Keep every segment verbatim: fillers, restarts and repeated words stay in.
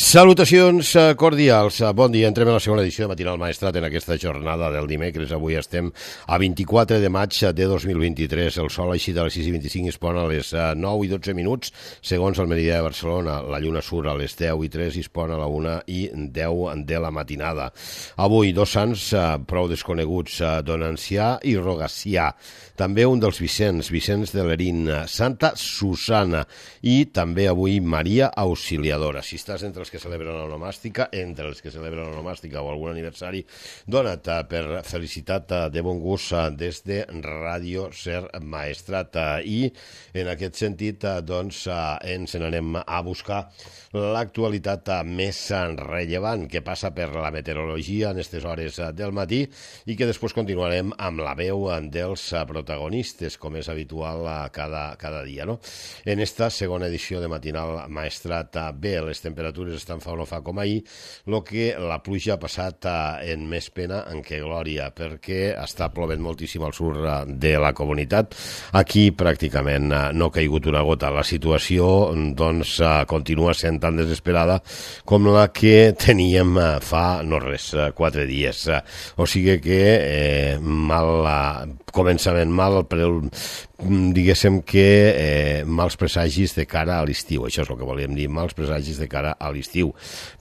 Salutacions cordials, bon dia, entrem a la segona edició de Matinal Maestrat en aquesta jornada del dimecres. Avui estem a vint-i-quatre de maig de dos mil vint-i-tres, el sol així de les sis i vint-i-cinc es pon a les nou i dotze minuts, segons el meridià de Barcelona, la lluna surt a les deu i tres i es pon a la una i deu de la matinada. Avui dos sants prou desconeguts, Don Ancià i Rogacià, també un dels Vicents, Vicenç de Lerín, Santa Susana i també avui Maria Auxiliadora. Si estàs entre els que celebren l'onomàstica, entre els que celebren l'onomàstica o algun aniversari, dona't per felicitat de bon gust des de Ràdio Ser Maestrat. I en aquest sentit, doncs, ens n'anem a buscar l'actualitat més rellevant que passa per la meteorologia en aquestes hores del matí i que després continuarem amb la veu dels protagonistes, com és habitual cada, cada dia, no? En esta segona edició de Matinal Maestrat, bé, les temperatures estan fa o no fa com ahir, el que la pluja ha passat en més pena en que glòria, perquè està plovent moltíssim al sud de la comunitat. Aquí pràcticament no ha caigut una gota. La situació doncs continua sent tan desesperada com la que teníem fa no res, quatre dies. O sigui que eh, mal començament, mal però diguéssim que eh, mals presagis de cara a l'estiu. Això és el que volíem dir, mals presagis de cara a l'estiu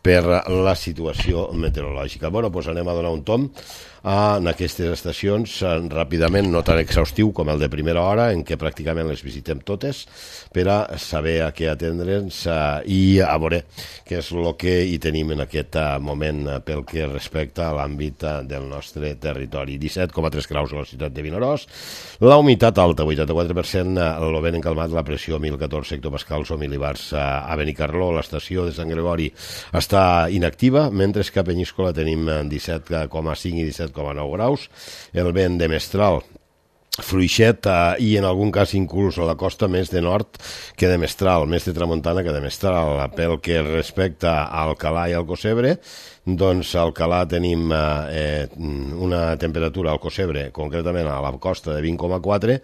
per la situació meteorològica. Bueno, doncs anem a donar un tom en aquestes estacions ràpidament, no tan exhaustiu com el de primera hora, en què pràcticament les visitem totes per a saber a què atendre'ns i a veure què és el que hi tenim en aquest moment pel que respecta a l'àmbit del nostre territori. disset coma tres graus a la ciutat de Vinaròs, la humitat alta, vuitanta-quatre per cent, el vent encalmat, la pressió mil catorze hectopascals o mil·libars. A Benicarló, l'estació de Sant Gregori està inactiva, mentre que a Penyíscola tenim disset coma cinc i disset coma nou graus. El vent de Mestral fluixet eh, i en algun cas inclús a la costa més de nord que de Mestral, més de tramuntana que de Mestral. Pel que respecta a Alcalà i Alcossebre, doncs a Alcalà tenim eh, una temperatura al Alcossebre, concretament a la costa de vint coma quatre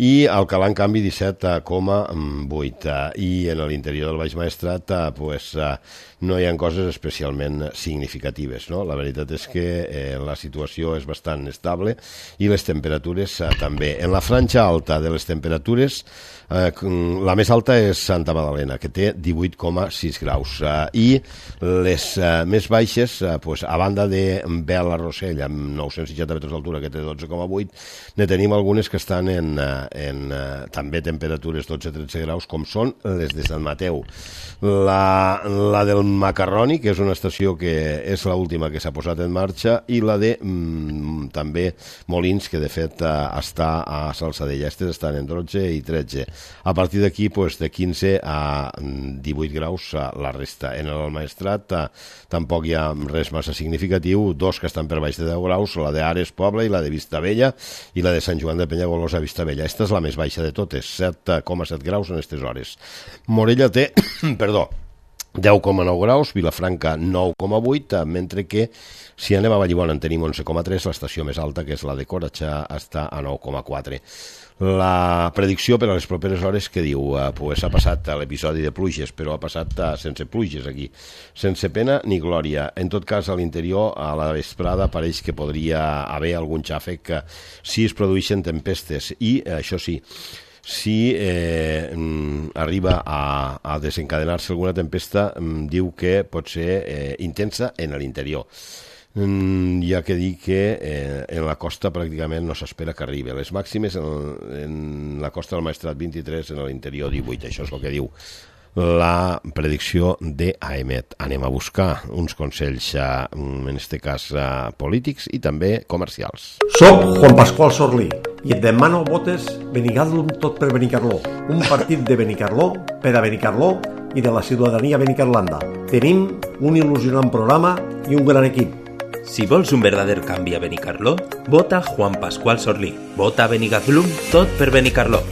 i a Alcalà en canvi disset coma vuit, i en l'interior del Baix Maestrat eh, pues, eh, no hi ha coses especialment significatives, no? La veritat és que eh, la situació és bastant estable i les temperatures eh, també. En la franja alta de les temperatures, eh, la més alta és Santa Magdalena, que té divuit coma sis graus, eh, i les eh, més baixes, eh, pues, a banda de Bela Rossell, amb nou-cents seixanta metres d'altura, que té dotze coma vuit, ne tenim algunes que estan en, en eh, també temperatures dotze a tretze graus, com són les de Sant Mateu. La, la del Macarroni, que és una estació que és l'última que s'ha posat en marxa, i la de mm, també Molins, que de fet eh, està a Salsadella. Estes estan en dotze i tretze. A partir d'aquí, pues, de quinze a divuit graus la resta. En el Maestrat eh, tampoc hi ha res massa significatiu, dos que estan per baix de deu graus, la d'Ares Poble i la de Vistabella, i la de Sant Joan de Penyagolosa Vistabella. Esta és la més baixa de totes, set coma set graus en aquestes hores. Morella té, perdó, deu coma nou graus, Vilafranca nou coma vuit, mentre que si anem a Vallibona en tenim onze coma tres, l'estació més alta, que és la de Coratxà, està a nou coma quatre. La predicció per a les properes hores que diu, eh, pues ha passat l'episodi de pluges, però ha passat eh, sense pluges aquí, sense pena ni glòria. En tot cas, a l'interior, a la vesprada, pareix que podria haver algun xàfec que si es produeixen tempestes, i eh, això sí, si eh, arriba a, a desencadenar-se alguna tempesta, diu que pot ser eh, intensa en l'interior. Mm, hi ha que dir que eh, en la costa pràcticament no s'espera que arribi. Les màximes en, en la costa del Maestrat vint-i-tres, en l'interior divuit. Això és el que diu la predicció d'AEMET. Anem a buscar uns consells, eh, en aquest cas eh, polítics i també comercials. Soc Juan Pascual Sorlí i et demano votes Benicarló tot per Benicarló, un partit de Benicarló per a Benicarló i de la ciutadania benicarlanda. Tenim un il·lusionant programa i un gran equip. Si vols un verdader canvi a Benicarló, vota Juan Pascual Sorlí. Vota Benicarló tot per Benicarló.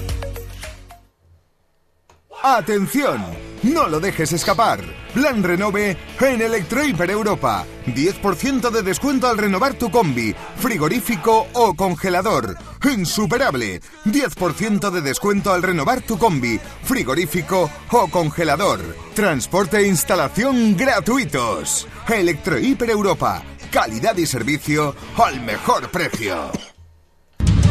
¡Atención! No lo dejes escapar. Plan Renove en Electrohiper Europa. diez por ciento de descuento al renovar tu combi, frigorífico o congelador. insuperable. diez por ciento de descuento al renovar tu combi, frigorífico o congelador. Transporte e instalación gratuitos. Electrohiper Europa. Calidad y servicio al mejor precio.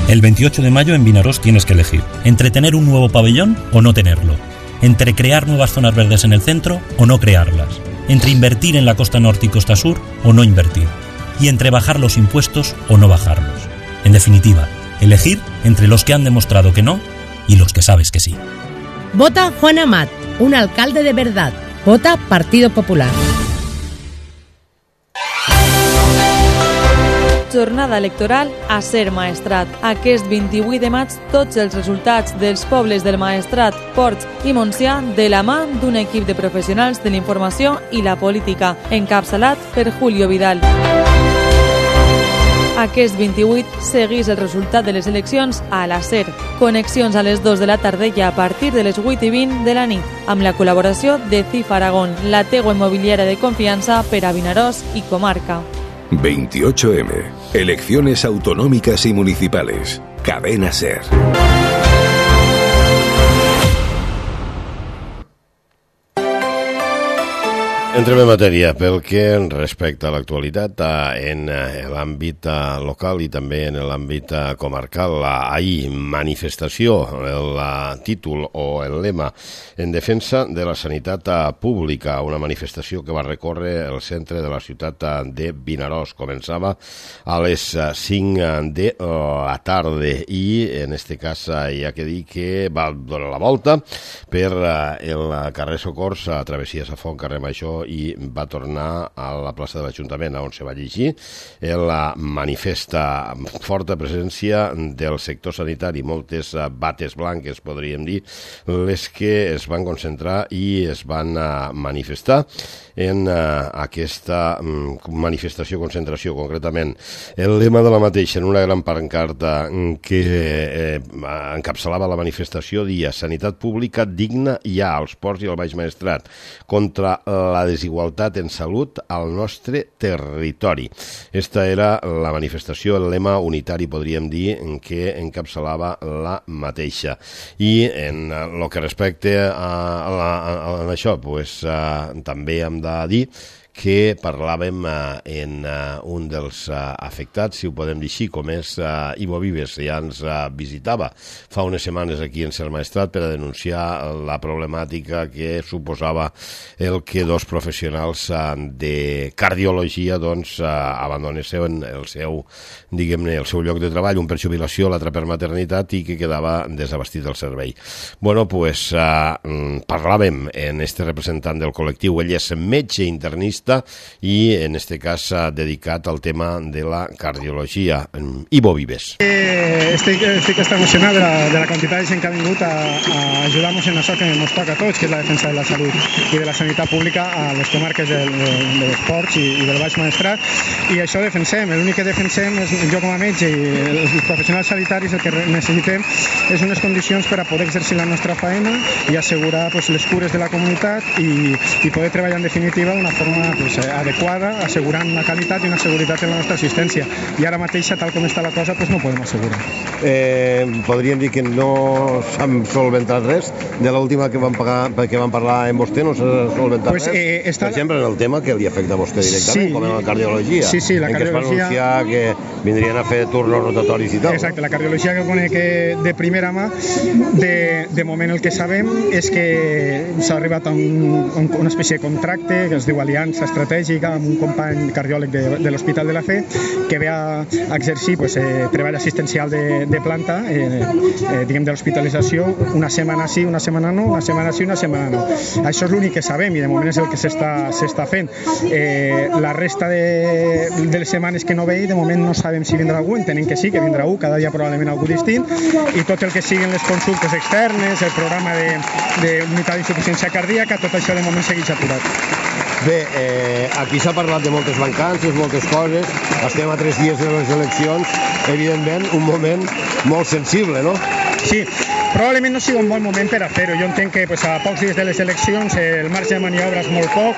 El veintiocho de mayo en Vinaròs tienes que elegir entre tener un nuevo pabellón o no tenerlo, entre crear nuevas zonas verdes en el centro o no crearlas, entre invertir en la costa norte y costa sur o no invertir, y entre bajar los impuestos o no bajarlos. En definitiva, elegir entre los que han demostrado que no y los que sabes que sí. Vota Juan Amat, un alcalde de verdad. Vota Partido Popular. Jornada electoral a Ser Maestrat. Aquest vint-i-vuit de maig, tots els resultats dels pobles del Maestrat, Ports i Montsià de la mà d'un equip de professionals de la informació i la política, encapçalat per Julio Vidal. Aquest vint-i-vuit seguís el resultat de les eleccions a la SER. Connexions a les dues de la tarda i a partir de les vuit i vint de la nit, amb la col·laboració de C I F Aragón, la teua immobiliària de confiança per a Vinaròs i comarca. veintiocho eme. Elecciones autonómicas y municipales. Cadena SER. Entrem en matèria pel que respecta a l'actualitat en l'àmbit local i també en l'àmbit comarcal. Ahir, manifestació, el títol o el lema en defensa de la sanitat pública, una manifestació que va recórrer el centre de la ciutat de Vinaròs. Començava a les cinc de la tarda i en este cas hi ha que dir que va donar la volta per el carrer Socors, a travessia de Font, carrer Major, i va tornar a la plaça de l'Ajuntament, on se va llegir el manifesta. Forta presència del sector sanitari, moltes bates blanques, podríem dir, les que es van concentrar i es van manifestar en aquesta manifestació, concentració, concretament. El lema de la mateixa, en una gran pancarta que encapçalava la manifestació, dia sanitat pública digna hi ha als Ports i al Baix Maestrat, contra la desigualtat en salut al nostre territori. Esta era la manifestació, el lema unitari, podríem dir, que encapçalava la mateixa. I en el que respecta a, a, a, a això, pues, uh, també hem de dir que parlàvem uh, en uh, un dels uh, afectats, si ho podem dir així, com és uh, Ivo Vives, ja ens uh, visitava fa unes setmanes aquí en Ser Maestrat per a denunciar la problemàtica que suposava el que dos professionals uh, de cardiologia doncs, uh, abandonessin el seu, diguem-ne, el seu lloc de treball, un per jubilació, l'altre per maternitat, i que quedava desabastit el servei. Bueno, pues uh, parlàvem en este representant del col·lectiu, ell és metge internista i en este cas s'ha dedicat al tema de la cardiologia. Ivo Vives. Eh, estic, estic emocionat de la, de la quantitat de gent que ha vingut a, a ajudar-nos en això que ens toca a tots, que és la defensa de la salut i de la sanitat pública a les comarques del, de, de les Ports i, i del Baix Maestrat, i això defensem. L'únic que defensem és, jo com a metge i els professionals sanitaris, el que necessitem és unes condicions per a poder exercir la nostra feina i assegurar pues, les cures de la comunitat i, i poder treballar en definitiva d'una forma pues, adequada, assegurant una qualitat i una seguretat en la nostra assistència. I ara mateix, tal com està la cosa, pues, no podem assegurar. Eh, podríem dir que no s'han solventat res de l'última que van, pagar, que van parlar amb vostè, no s'ha solventat pues, res? Eh, està... Per exemple, en el tema que li afecta a vostè directament, sí, com en la cardiologia, sí, sí, la en cardiologia... què es va anunciar que vindrien a fer turnos rotatoris i tal. Exacte, la cardiologia que conec de primera mà, de, de moment el que sabem és que s'ha arribat a un, una espècie de contracte que es diu Aliança Estratègica amb un company cardiòleg de, de l'Hospital de la Fe que ve a, a exercir pues, eh, treball assistencial de, de planta, eh, eh, diguem de l'hospitalització, una setmana sí, una setmana no, una setmana sí, una setmana no. Això és l'únic que sabem i de moment és el que s'està fent. Eh, la resta de, de les setmanes que no ve, de moment no sabem si vindrà algú, entenem que sí, que vindrà algú, cada dia probablement algú distint, i tot el que siguin les consultes externes, el programa d'unitat d'insuficiència cardíaca, tot això de moment segueix aturat. Bé, eh, aquí s'ha parlat de moltes mancances, moltes coses, estem a tres dies de les eleccions, evidentment un moment molt sensible, no? Sí, probablement no sigui un bon moment per a fer-ho. Jo entenc que pues, a pocs dies de les eleccions el marge de maniobra és molt poc,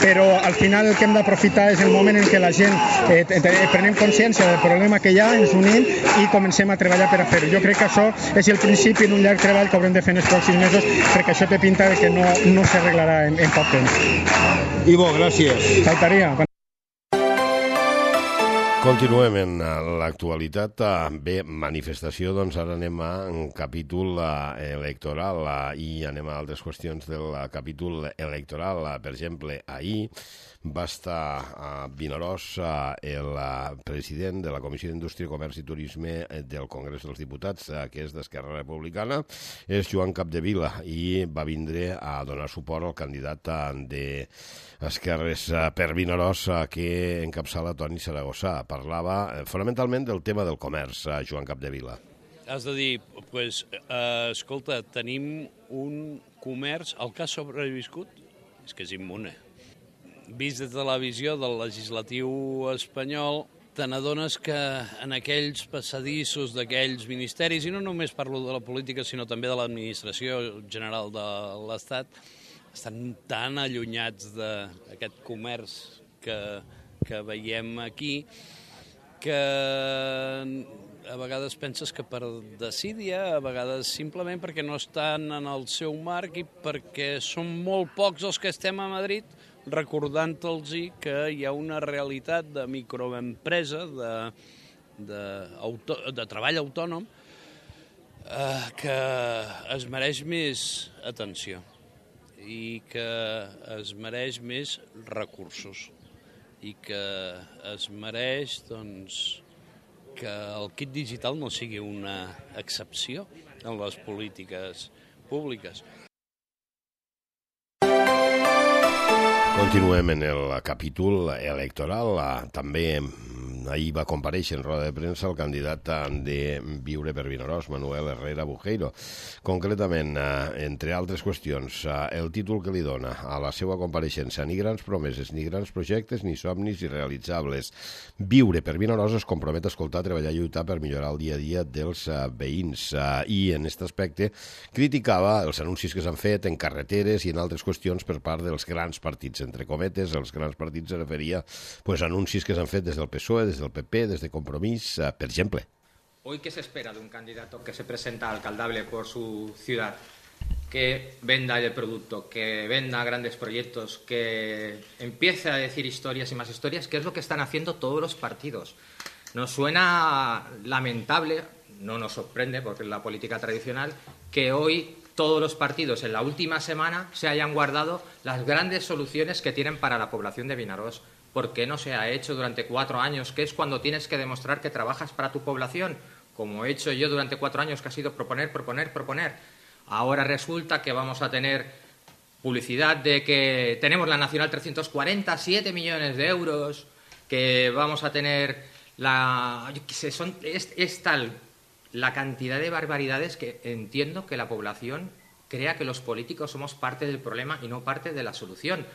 però al final el que hem d'aprofitar és el moment en què la gent eh, prenem consciència del problema que hi ha, ens unim i comencem a treballar per a fer-ho. Jo crec que això és el principi d'un llarg treball que haurem de fer en els pròxims mesos, perquè això té pinta de que no, no s'arreglarà en, en poc temps. Ivo, gràcies. Faltaria. Continuem en l'actualitat. Bé, manifestació, doncs ara anem a un capítol electoral i anem a altres qüestions del capítol electoral. Per exemple, ahir va estar a Vinaròs el president de la Comissió d'Indústria, Comerç i Turisme del Congrés dels Diputats, que és d'Esquerra Republicana, és Joan Capdevila, i va vindre a donar suport al candidat d'Esquerres per Vinaròs que encapçala Toni Saragossa. Parlava fonamentalment del tema del comerç, Joan Capdevila. Has de dir, pues, eh, escolta, tenim un comerç, el que ha sobreviscut és que és immune. Vist de televisió del legislatiu espanyol, te n'adones que en aquells passadissos d'aquells ministeris, i no només parlo de la política, sinó també de l'administració general de l'Estat, estan tan allunyats d'aquest comerç que, que veiem aquí, que a vegades penses que per desídia, a vegades simplement perquè no estan en el seu marc i perquè són molt pocs els que estem a Madrid recordant-los que hi ha una realitat de microempresa, de, de, auto, de treball autònom, eh, que es mereix més atenció i que es mereix més recursos i que es mereix, doncs, que el kit digital no sigui una excepció en les polítiques públiques. Continuem en el capítol electoral. També ahir va comparèixer en roda de premsa el candidat de Viure per Vinaròs, Manuel Herrera Bujeiro. Concretament, entre altres qüestions, el títol que li dona a la seva compareixença: ni grans promeses, ni grans projectes, ni somnis irrealitzables. Viure per Vinaròs es compromet a escoltar, treballar i lluitar per millorar el dia a dia dels veïns. I en aquest aspecte criticava els anuncis que s'han fet en carreteres i en altres qüestions per part dels grans partits. Entre cometes, els grans partits se referia pues, a anuncis que s'han fet des del P S O E, des del P P, des de Compromís, per exemple. Hoy, ¿qué se espera de un candidato que se presenta alcaldable por su ciudad? Que venda el producto, que venda grandes proyectos, que empiece a decir historias y más historias, que es lo que están haciendo todos los partidos. Nos suena lamentable, no nos sorprende porque es la política tradicional, que hoy todos los partidos en la última semana se hayan guardado las grandes soluciones que tienen para la población de Vinaròs. ¿Por qué no se ha hecho durante cuatro años, que es cuando tienes que demostrar que trabajas para tu población? Como he hecho yo durante cuatro años, que ha sido proponer, proponer, proponer. Ahora resulta que vamos a tener publicidad de que tenemos la Nacional trescientos cuarenta, siete millones de euros, que vamos a tener la... Yo qué sé, son, es, es tal la cantidad de barbaridades que entiendo que la población crea que los políticos somos parte del problema y no parte de la solución.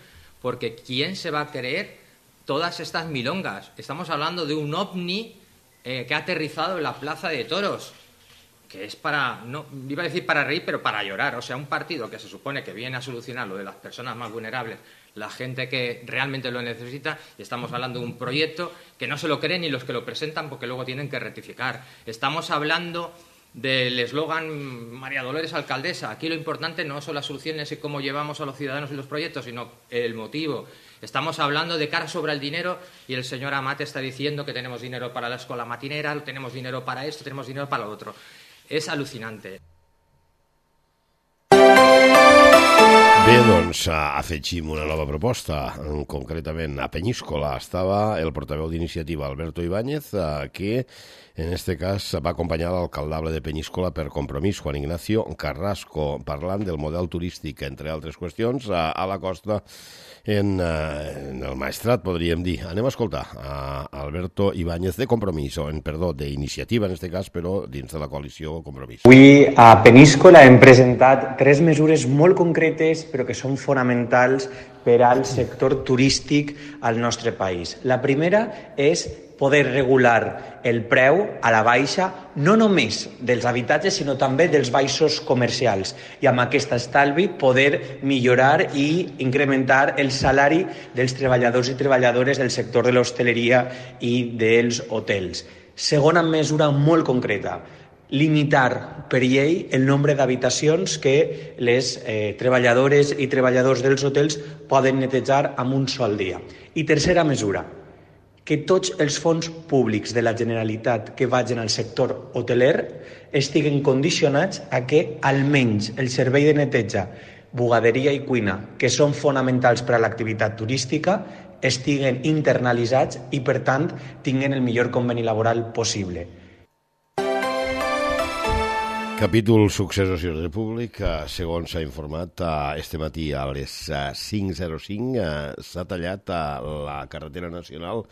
Porque ¿quién se va a creer todas estas milongas? Estamos hablando de un ovni eh, que ha aterrizado en la Plaza de Toros, que es para, no iba a decir para reír, pero para llorar. O sea, un partido que se supone que viene a solucionar lo de las personas más vulnerables, la gente que realmente lo necesita, y estamos hablando de un proyecto que no se lo creen ni los que lo presentan porque luego tienen que rectificar. Estamos hablando del eslogan María Dolores Alcaldesa. Aquí lo importante no son las soluciones y cómo llevamos a los ciudadanos y los proyectos, sino el motivo. Estamos hablando de cara sobre el dinero y el señor Amat está diciendo que tenemos dinero para la escuela matinera, tenemos dinero para esto, tenemos dinero para lo otro. És al·lucinante. Bé, doncs afegim una nova proposta, concretament a Peñíscola. Estava el portaveu d'iniciativa, Alberto Ibáñez, que en este cas va acompanyar l'alcaldable de Peñíscola per Compromís, Juan Ignacio Carrasco, parlant del model turístic, entre altres qüestions, a, a la costa en, en el Maestrat, podríem dir. Anem a escoltar a Alberto Ibáñez de Compromís, o en, perdó, d'iniciativa en este cas, però dins de la coalició Compromís. Avui a Peñíscola hem presentat tres mesures molt concretes però que són fonamentals per al sector turístic al nostre país. La primera és poder regular el preu a la baixa, no només dels habitatges, sinó també dels baixos comercials. I amb aquest estalvi poder millorar i incrementar el salari dels treballadors i treballadores del sector de l'hostaleria i dels hotels. Segona mesura molt concreta, limitar per llei el nombre d'habitacions que les eh, treballadores i treballadors dels hotels poden netejar en un sol dia. I tercera mesura, que tots els fons públics de la Generalitat que vagin al sector hoteler estiguen condicionats a que almenys el servei de neteja, bugaderia i cuina, que són fonamentals per a l'activitat turística, estiguen internalitzats i, per tant, tinguen el millor conveni laboral possible. Capítol Successos i Ordre Públic, segons s'ha informat este matí a les cinc zero cinc, s'ha tallat la carretera nacional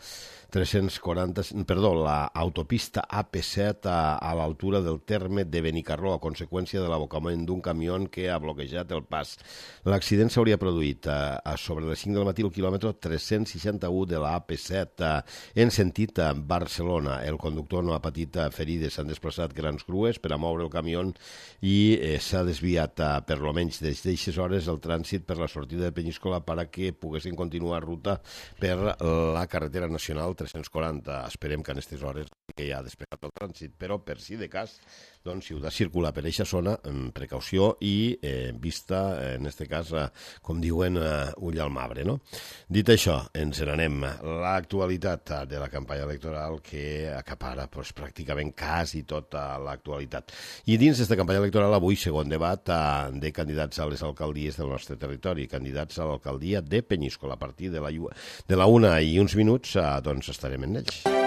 tres-cents quaranta, perdó, l'autopista A P set a, a l'altura del terme de Benicarló a conseqüència de l'abocament d'un camió que ha bloquejat el pas. L'accident s'hauria produït a, a sobre les cinc del matí al quilòmetre tres-cents seixanta-u de la A P set a, en sentit a Barcelona. El conductor no ha patit ferides, s'han desplaçat grans grues per a moure el camió i eh, s'ha desviat a, per lo menys des d'eixes hores el trànsit per la sortida de Penyíscola perquè poguessin continuar ruta per la carretera nacional tres-cents quaranta. Esperem que en aquestes hores que ja ha despegat el trànsit, però per si de cas, doncs, si heu de circular per aquesta zona, amb precaució i eh, vista, en aquest cas, eh, com diuen, eh, ull al marbre, no? Dit això, ens n'anem. L'actualitat de la campanya electoral que acapara pues, pràcticament quasi tota l'actualitat. I dins d'aquesta campanya electoral, avui, segon debat eh, de candidats a les alcaldies del nostre territori, candidats a l'alcaldia de Penyíscola. A partir de la, de la una i uns minuts, eh, doncs estarem en ells.